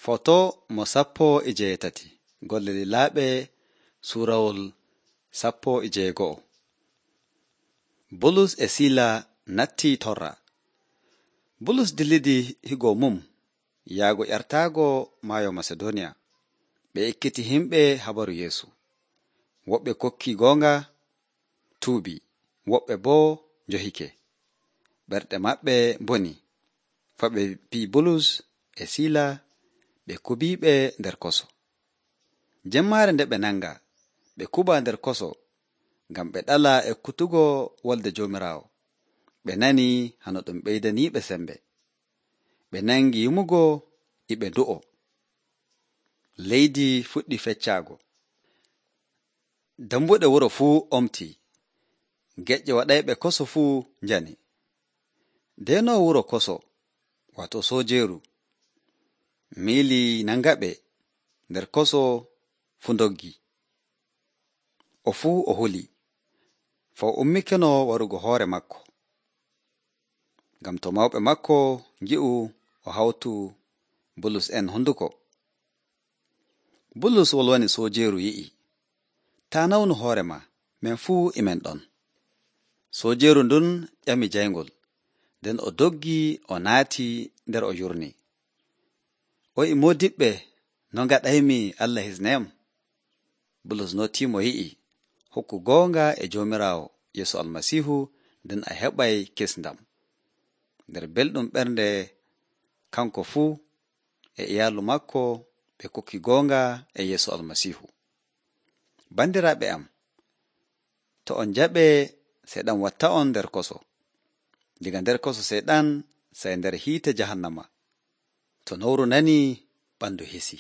Foto mo 17 golle lilaaɓe suurawol 11. Bulus e Siila nattii torra. Bulus dillidi higo mum yaago ƴartaago maayo Masedoniya. Ɓe ekkiti himɓe habaru Yeesu. Woɓɓe kokki goonga tuubi, woɓɓe boo njohike. Ɓerɗe maɓɓe mboni, fa ɓe pii Bulus e Siila ɓe kubiiɓe nder koso. Jemmaare nde ɓe nanga, ɓe kuba nder koso, ngam ɓe ɗala ekkutugo wolde Joomiraawo. Ɓe nani hano ɗum ɓeydaniiɓe sembe. Ɓe nangi yumugo e ɓe ndu'o. Leydi fuɗɗi feccaago. Dambuɗe wuro fuu omtii. Geƴƴe waɗayɓe koso fuu njani. Deenoowo wuro koso, wato soojeeru, miili nangaɓe nder koso fu ndoggi. O fuu o huli, faa o ummikeno warugo hoore makko. Ngam to mawɓe makko ngi'u o hawtu Bulus en honduko. Bulus wolwani soojeeru yi'i, taa nawnu hoore ma, men fuu imen ɗon. Soojeeru ndun ƴami jayngol, nden o doggi o naati nder o yurni. O yi'i moodiɓɓe, no ngaɗaymi Allah hisnayam? Bulus nootiimo yi'i, hokku goonga e Joomiraawo Yeesu Almasiihu, nden a heɓay kisndam. Nder belɗum ɓernde kanko fuu e iyaalu makko ɓe kokki goonga e Yeesu Almasiihu. Bandiraaɓe am, to on jaɓe Seeɗan watta on nder koso. Diga nder koso Seeɗan sey nder hiite jahannama. To nowru nanii, ɓandu hisi.